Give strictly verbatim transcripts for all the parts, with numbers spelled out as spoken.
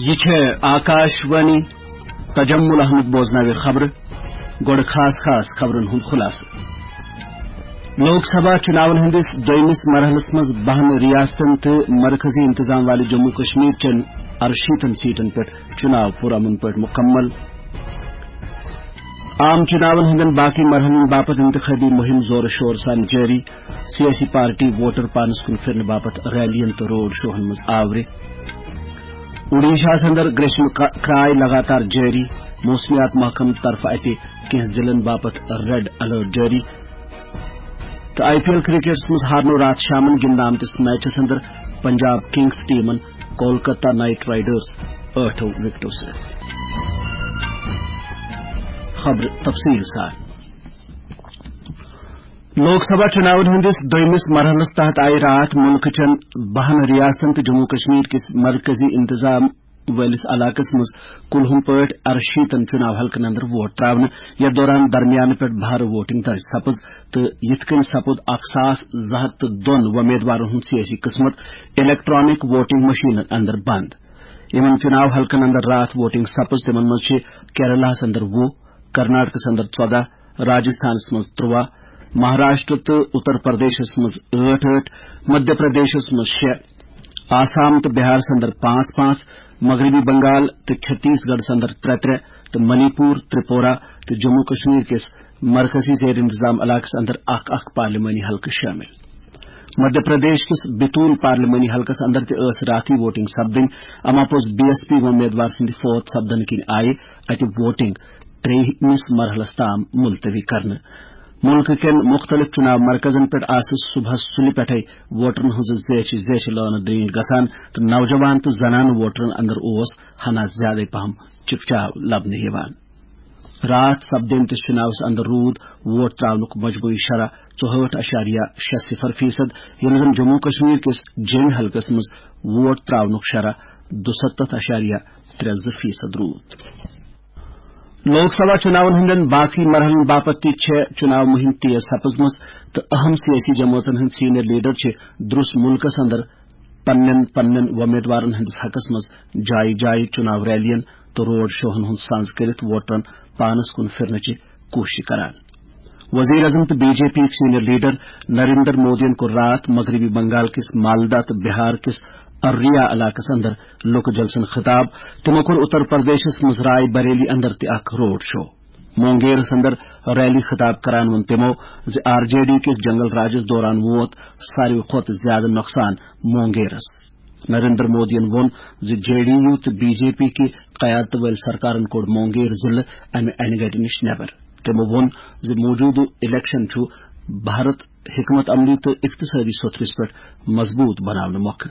یہِ چھےٚ آکاش وانی۔ تجمل احمد بوزناوِ خبرٕ۔ گۄڈٕ خاص خاص خبرن ہُنٛد خلاصہٕ۔ لوک سبھا چُناون ہٕنٛدِس دوٚیمِس مرحلس منٛز بَہَن ریاستن تہٕ مرکزی انتظام والہِ جموں کشمیر چٮ۪ن اَرشیٖتن سیٹن پٮ۪ٹھ چُناو پُرامن پٲٹھۍ مُکمل۔ عام چُناون ہٕنٛدٮ۪ن باقی مرحلن باپتھ انتخابی مُہِم زورٕ شورٕ سان جٲری۔ سیٲسی پارٹی ووٹر پانس کُن پھِرنہٕ باپتھ ریلین تہٕ روڈ شوہن منٛز آورِ۔ اوڈیشاہس اندر گریشمہٕ کا-، کرٛاے لگاتار جٲری۔ موسمیات محکمہٕ طرفہٕ اتہِ کینٛہہ ضلعن باپتھ ریڈ الرٹ جٲری۔ تہٕ آئی پی ایل کرکٹس منٛز ہارنو راتھ شامن گِنٛدنہٕ آمتِس میچس اندر پنجاب کنگز ٹیمن کولکتہ نائٹ رائیڈرز ٲٹھو وکٹو سۭتۍ۔ خبرٕ تفصیٖل سان۔ لوک سبھا چُناون ہٕنٛدِس دوٚیمِس مرحلس تحت آیہِ راتھ مُلکہٕ چٮ۪ن بَہَن ریاستن تہٕ جموں کشمیر کِس مرکزی انتظام وٲلِس علاقس منٛز کُلہُم پٲٹھۍ اَرشیٖتن چُناو حلقن اندر ووٹ تراونہٕ۔ یتھ دوران درمیانہٕ پٮ۪ٹھ بھارٕ ووٹنگ درج سپٕز تہٕ یِتھ کٔنۍ سپُد اکھ ساس زٕ ہتھ تہٕ دۄن وۄمیدوارن ہُنٛد سیٲسی قٕسمت الیکٹرانک ووٹنگ مشینن اندر بند۔ یِمن چُناو حلقن اندر راتھ ووٹنگ سپٕز، تِمن منٛز چھِ کیرلاہس اندر وُہ، کرناٹکس اندر ژۄداہ، راجستھانس منٛز ترٛواہ، مہاراشٹر تہٕ اتر پردیشس منٛز ٲٹھ ٲٹھ، مدھیہ پردیشس منٛز شےٚ، آسام تہٕ بہارس اندر پانٛژھ پانٛژھ، مغربی بنگال تہٕ چھتیس گڑھس اندر ترٛےٚ ترٛےٚ، تہٕ منی پور، ترپورہ تہٕ جموں کشمیر کِس مرکزی زیر انتظام علاقس اندر اکھ اکھ پارلیمانی حلقہٕ شٲمِل۔ مدھیہ پردیش کِس بتول پارلیمانی حلقس اندر تہِ ٲس راتھٕے ووٹنگ سپدٕنۍ، اما پوٚز بی ایس پی وۄمیدوار سٕنٛدِ فوت سپدنہٕ کِنۍ آیہِ اتہِ ووٹنگ ترٛیٚیمِس مرحلس تام ملتوی کرنہٕ۔ مُلکہٕ کٮ۪ن مُختٔلِف چُناو مرکزن پٮ۪ٹھ آسہٕ صُبحس سُلہِ پٮ۪ٹھے ووٹرن ہٕنٛزٕ زیچھِ زیچھِ لٲنہٕ درینج گژھان تہٕ نوجوان تہٕ زنانہٕ ووٹرن اندر اوس ہنا زیادے پہم چکچاو لبنہٕ یِوان۔ راتھ سپدیمتِس چُناوس اندر روٗد ووٹ تراونُک مجموعی شرح ژُہٲٹھ اَشاریہ شےٚ صفر فیصد، ییٚلہِ زن جموں کشمیر کِس جیٚمہِ حلقس منٛز ووٹ تراونُک شرح دُستتھ اَشاریہ ترٛےٚ زٕ فیصد روٗد۔ لوک سبھا چُناون ہٕنٛدٮ۪ن باقی مرحلن باپتھ تہِ چھےٚ چُناو مُہِم تیز سپٕزمٕژ تہٕ اہم سیٲسی جمٲژن ہٕنٛدۍ سینئر لیڈر چھِ درُس مُلکس اندر پننٮ۪ن پننٮ۪ن وۄمیدوارن ہٕنٛدِس حقس منٛز جایہِ جایہِ چُناو ریلین تہٕ روڈ شوہن ہُنٛد سنز کٔرِتھ ووٹرن پانس کُن پھِرنٕچہِ کوٗشش کران۔ وزیر اعظم تہٕ بی جے پی یِکۍ سینئر لیڈر نریندر مودیَن کوٚر راتھ مغربی بنگال کِس مالدہ تہٕ بہار کِس ارریا علاقس اندر لوکہٕ جلسن خطاب۔ تِمو کوٚر اتر پردیشس منٛز رائے بریلی اندر تہِ اکھ روڈ شو۔ مونگیرس اندر ریلی خطاب کران ووٚن تِمو زِ آر جے ڈی کِس جنگل راجس دوران ووت ساروی کھۄتہٕ زیادٕ نۄقصان مونگیرس۔ نریندر مودیَن ووٚن زِ جے ڈی یو تہٕ بی جے پی کہِ قیادتہٕ وٲلۍ سرکارن کوٚڑ مونگیر ضلعہٕ امہِ انہِ گٹہِ نِش نٮ۪بر۔ تِمو ووٚن زِ موجودٕ الیکشن چھُ بھارت حکمت عملی تہٕ اقتصٲدی سوٚتھرِس پٮ۪ٹھ مضبوٗط بناونہٕ مۄکھٕ۔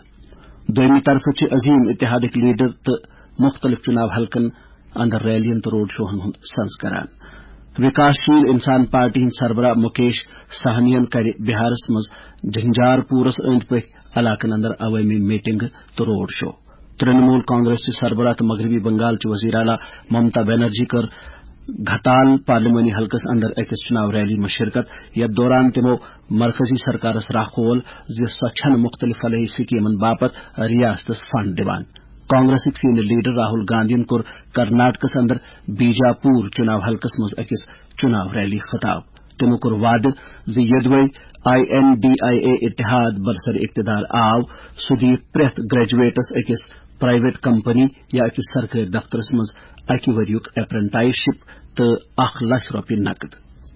دوٚیمہِ طرفہٕ چھِ عظیم اتحادٕکۍ لیڈر تہٕ مُختٔلِف چُناو حلقن اندر ریلین تہٕ روڈ شوہن ہُنٛد سنز کران۔ وکاس شیل انسان پارٹی ہٕنٛدۍ سربراہ مکیش سہنین کرِ بہارس منٛز جھنجار پورس أنٛدۍ پٔکۍ علاقن اندر عوٲمی میٹنگ تہٕ روڈ شو۔ ترنمول کانگریس چہِ سربراہ تہٕ مغربی بنگال چہِ وزیر اعلیٰ ممتا بنرجی کٔر گھتال پارلیمانی حلقس اندر أکِس چُناو ریلی منٛز شرکت، یتھ دوران تِمو مرکزی سرکارس راہ کھول زِ سۄ چھنہٕ مُختٔلِف فلاحی سکیمن باپتھ ریاستس فنڈ دِوان۔ کانگریسٕکۍ سینئر لیڈر راہل گاندھین کوٚر کرناٹکس اندر بیجاپور چُناو حلقس منٛز أکِس چُناو ریلی خطاب۔ تِمو کوٚر وعدٕ زِ یوٚدوَے I N D I A اتحاد برسر اقتدار آو، سُہ دِیہِ پرٛٮ۪تھ گریجویٹس أکِس پرائیویٹ کمپنی یا أکِس سرکٲرۍ دفترس منٛز اکہِ ؤریُک اپرنٹائس شپ تہٕ اکھ لچھ رۄپیہِ نقد۔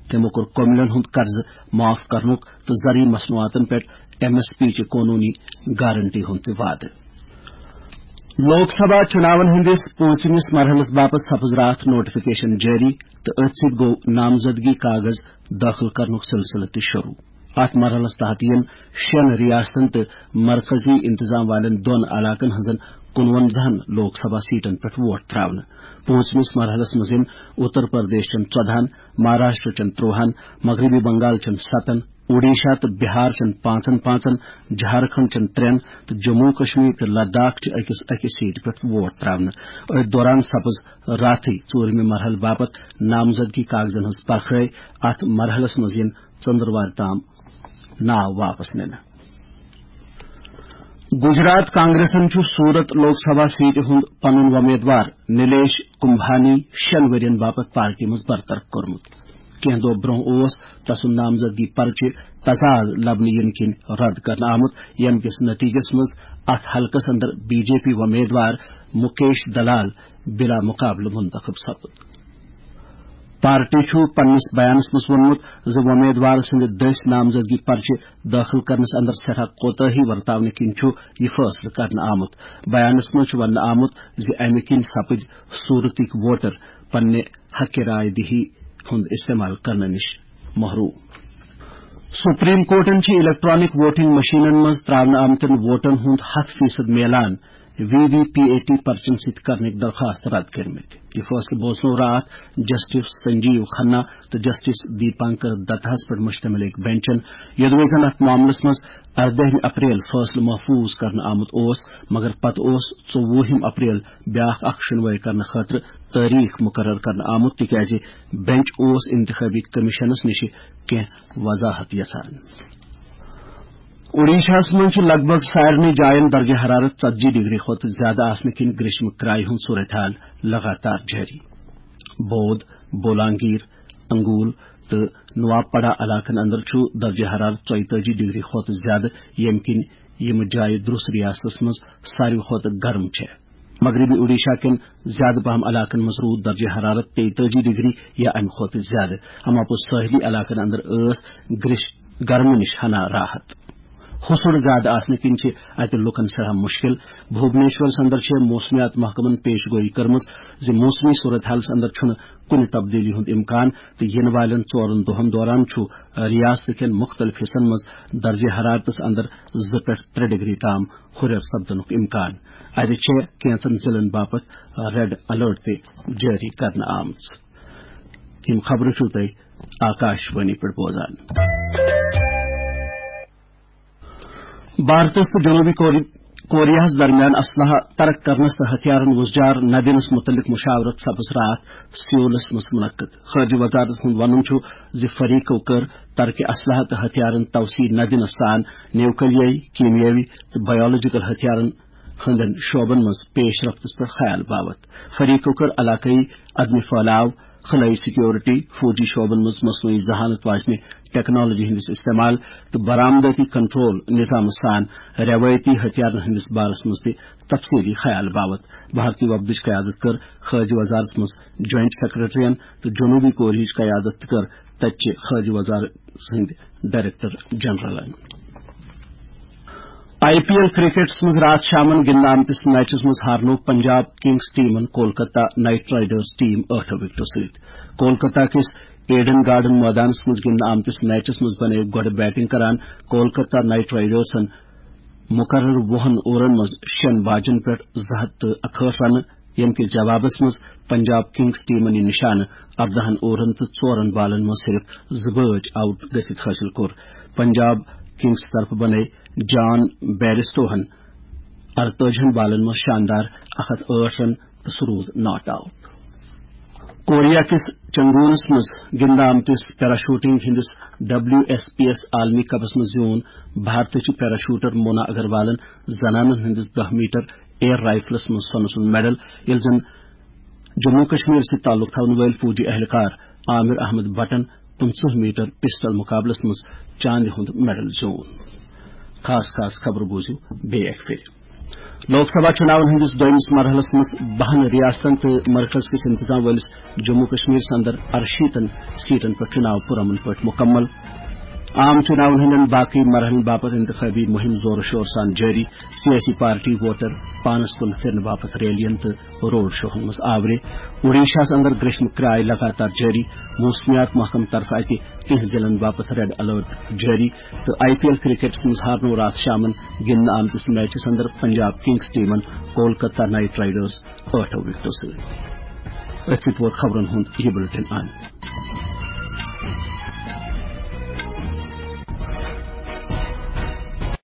تِمو کوٚر کٔمِلین ہُنٛد قرضہٕ معاف کرنُک تہٕ زرعی مصنوعاتن پٮ۪ٹھ ایم ایس پی چہِ قونوٗنی گارنٹی ہُنٛد تہِ وعدٕ۔ لوک سبھا چُناون ہٕنٛدِس پوٗنٛژمِس مرحلس باپتھ سپٕز راتھ نوٹیفکیشن جٲری تہٕ أتھۍ سۭتۍ گوٚو نامزدگی کاغذ دٲخل کرنُک سلسلہٕ تہِ شروٗع۔ اتھ مرحلس تحت یِن شٮ۪ن ریاستن تہٕ مرکزی انتظام والٮ۪ن دۄن علاقن ہٕنٛزن کُنوَنزاہن لوک سبھا سیٹن پٮ۪ٹھ ووٹ تراونہٕ۔ پوٗنٛژمِس مرحلس منٛز یِن اتر پردیش چٮ۪ن ژۄدہَن، مہاراشٹر چٮ۪ن ترٛۆہَن، مغربی بنگال چٮ۪ن ستن، اوڈیشہ تہٕ بہار چٮ۪ن پانٛژن پانٛژن، جھارکھنڈ چٮ۪ن ترٛٮ۪ن تہٕ جموں کشمیر تہٕ لداخ چہِ أکِس أکِس سیٹہِ پٮ۪ٹھ ووٹ تراونہٕ۔ أتھۍ دوران سپٕز راتھٕے ژوٗرمہِ مرحلہٕ باپتھ نامزدگی کاغذن ہٕنٛز پرکھرٲے۔ اتھ مرحلس منٛز یِن ژٔنٛدٕروارِ تام ناو واپس نِنہٕ۔ گجرات کانگریسن چھُ سورت لوک سبھا سیٹہِ ہُنٛد پنُن وۄمیدوار نیلیش کمبھانی شٮ۪ن ؤرین باپتھ پارٹی منٛز برطرف کوٚرمُت۔ کینٛہہ دۄہ برٛونٛہہ اوس تسُنٛد نامزدگی پرچہِ تضاد لبنہٕ یِنہٕ کِنۍ رد کرنہٕ آمُت، ییٚمہِ کِس نتیجس منٛز اتھ حلقس اندر بی جے پی وۄمیدوار مُکیش دلال بلا مقابلہٕ منتخب سپُد۔ پارٹی چھُ پننِس بیانس منٛز ووٚنمُت زِ وۄمیدوار سٕنٛدِ دٔسۍ نامزدگی پرچہِ دٲخل کرنس اندر سٮ۪ٹھاہ کوتٲہی ورتاونہٕ کِنۍ چھُ یہِ فٲصلہٕ کرنہٕ آمُت۔ بیانس منٛز چھُ وننہٕ آمُت زِ امہِ کِنۍ سپٕدۍ صورتٕکۍ ووٹر پننہِ حق رائے دہی ہُنٛد استعمال کرنہٕ نِش محروم۔ سپریم کورٹن چھِ الیکٹرانک ووٹنگ مشینن منٛز تراونہٕ آمتٮ۪ن ووٹن ہُنٛد ہَتھ فیصد میلان V V P A T پرچن سۭتۍ کرنٕکۍ درخواست رد کٔرمٕتۍ۔ یہِ فٲصلہٕ بوزنوو راتھ جسٹس سنجیو کھنہ تہٕ جسٹس دیپانکر دتہس پٮ۪ٹھ مشتمل أکۍ بینچن، یوٚدوے زن اتھ معاملس منٛز اردٲہمہِ اپریل فٲصلہٕ محفوظ کرنہٕ آمُت اوس، مگر پتہٕ اوس ژوٚوُہِم اپریل بیاکھ اکھ شُنوٲے کرنہٕ خٲطرٕ تٲریخ مقرر کرنہٕ آمُت، تِکیازِ بینچ اوس انتخابی کمیشنس نِش کینٛہہ وضاحت یژھان۔ اوڈیشاہس منٛز چھُ لگ بھگ سارنٕے جاین درجہ حرارت ژتجی ڈگری کھۄتہٕ زیادٕ آسنہٕ کِنۍ گریشمہٕ کرایہِ ہُنٛد صورتحال لگاتار جٲری۔ بود، بولانگیر، انگول تہٕ نوابپڑا علاقن اندر چھُ درجہ حرارت ژۄیتٲجی ڈگری کھۄتہٕ زیادٕ، ییٚمہِ کِنۍ یِم جایہِ درُس ریاستس منٛز ساروی کھۄتہٕ گرم چھےٚ۔ مغربی اوڈیشہ کٮ۪ن زیادٕ پہم علاقن منٛز روٗد درجہ حرارت تیتٲجی ڈگری یا امہِ کھۄتہٕ زیادٕ۔ اما پوٚز سٲحلی علاقن اندر ٲس گرش گرمہٕ نِش ہنا راحت۔ ہُسُر زیادٕ آسنہٕ کِنۍ چھِ اتہِ لوٗکن سٮ۪ٹھاہ مُشکِل۔ بھوبنیشورس اندر چھےٚ موسمیات محکمن پیش گویی کٔرمٕژ زِ موسمی صورت حالس اندر چھُنہٕ کُنہِ تبدیلی ہُنٛد امکان تہٕ یِنہٕ والٮ۪ن ژورن دۄہن دوران چھُ ریاست کٮ۪ن مُختٔلِف حصن منٛز درجہ حرارتس اندر زٕ پٮ۪ٹھ ترٛےٚ ڈگری تام ہُرٮ۪ر سپدنُک امکان۔ اتہِ چھےٚ کینٛژن ضلعن باپتھ ریڈ الرٹ تہِ جٲری کرنہٕ آمٕژ۔ یِم خبرٕ چھِو تُہۍ آکاش وانی پٮ۪ٹھ بوزان۔ بھارتس تہٕ جنوبی کور-، کوریاہس درمیان اسلحہ ترک کرنس تہٕ ہتھیارن وُزجار نہ دِنس متعلق مشاورت سپٕز راتھ سیولس منٛز منعقد۔ خارجہ وزارت ہُنٛد ونُن چھُ زِ فریقو کٔر ترک اسلحہ تہٕ ہتھیارن توسیع نہ دِنس سان نیوکلیائی، کیمیاوی تہٕ بایولوجیکل ہتھیارن ہٕنٛدٮ۪ن شعبن منٛز پیش رفتس پٮ۪ٹھ خیال باوتھ۔ فریقو کٔر علاقٲیی عدم پھٲلاو، خلٲیی سیکیورٹی، فوجی شعبن منٛز مصنوعی ذہانت واجنہِ ٹیکنالوجی ہٕنٛدِس استعمال تہٕ برآمدٲتی کنٹرول نظامہٕ سان روایتی ہتھیارن ہٕنٛدِس بارس منٛز تہِ تفصیلی خیال باوتھ۔ بھارتی وفدٕچ قیادت کٔر خارجہ وزارتس منٛز جوائنٹ سیکرٹرین تہٕ جنوبی کوریاہٕچ قیادت تہِ کٔر تتہِ چہِ خارجہ وزارت ہٕنٛدۍ ڈائریکٹر جنرلن۔ آئی پی ایل کرکٹس منٛز راتھ شامن گِنٛدنہٕ آمتِس میچس منٛز ہارنوو پنجاب کنگز ٹیمن کولکتہ نائٹ رائیڈرز ٹیم ٲٹھو وکٹو سۭتۍ۔ کولکتہ کِس ایڈن گارڈن مٲدانس منٛز گِنٛدنہٕ آمتِس میچس منٛز بنٲو گۄڈٕ بیٹنگ کران کولکتہ نائٹ رائیڈرزن مقرر وُہن اورن منٛز شٮ۪ن باجن پٮ۪ٹھ زٕ ہتھ تہٕ اکہٲٹھ رنہٕ، ییٚمہِ کِس جوابس منٛز پنجاب کنگز ٹیمن یہِ نشانہٕ ارداہن اورن تہٕ ژورن بالن منٛز صرف زٕ بٲج آؤٹ گٔژھِتھ حٲصِل کوٚر۔ پنجاب کنگز طرفہٕ بنٲے جان بیرسٹوہن ارتٲجِہن بالن منٛز شاندار اکھ ہتھ ٲٹھ رن تہٕ سُہ روٗد ناٹ آؤٹ۔ کوریا کِس چنگونس منٛز گِنٛدنہٕ آمتِس پیراشوٹنگ ہٕنٛدِس ڈبلیو ایس پی ایس عالمی کپس منٛز زیوٗن بھارتٕچ پیراشوٹر مونا اگروالن زنانن ہٕنٛدِس دَہ میٹر ایئر رائفلس منٛز سۄنہٕ سُنٛد میڈل، ییٚلہِ زن جموں کشمیر سۭتۍ تعلق تھاون وٲلۍ فوجی اہلکار عامر احمد بٹن پٕنٛژٕہ میٹر پسٹل مقابلس منٛز چاندِ ہُنٛد میڈل زیوٗن۔ خاص خاص خبرٕ بوٗزِو بیٚیہِ اکہِ پھِرِ۔ لوک سبھا چُناون ہٕنٛدِس دوٚیمِس مرحلس منٛز بَہَن ریاستن تہٕ مرکز کِس انتظام وٲلِس جموں کشمیرس اندر ارشیٖتن سیٹن پٮ۪ٹھ چُناو پُرامن پٲٹھۍ مُکمل۔ عام چُناون ہٕنٛدٮ۪ن باقٕے مرحلن باپتھ انتخابی مُہِم زورٕ شورٕ سان جٲری۔ سیٲسی پارٹی ووٹر پانس کُن پھِرنہٕ باپتھ ریلین تہٕ روڈ شوہن منٛز آورِ۔ اوڈیشاہس اندر گریشمہٕ کرایہِ لگاتار جٲری۔ موسمیات محکمہٕ طرفہٕ اتہِ کینٛہہ ضلعن باپتھ ریڈ الرٹ جٲری۔ تہٕ آئی پی ایل کرکٹس منٛز ہارنوو راتھ شامن گِنٛدنہٕ آمتِس میچس اندر پنجاب کنگز ٹیمن کولکتہ نائٹ رائیڈرز ٲٹھو وکٹو سۭتۍ۔ أتھۍ سۭتۍ ووت خبرن ہُنٛد یہِ بُلٹن اند۔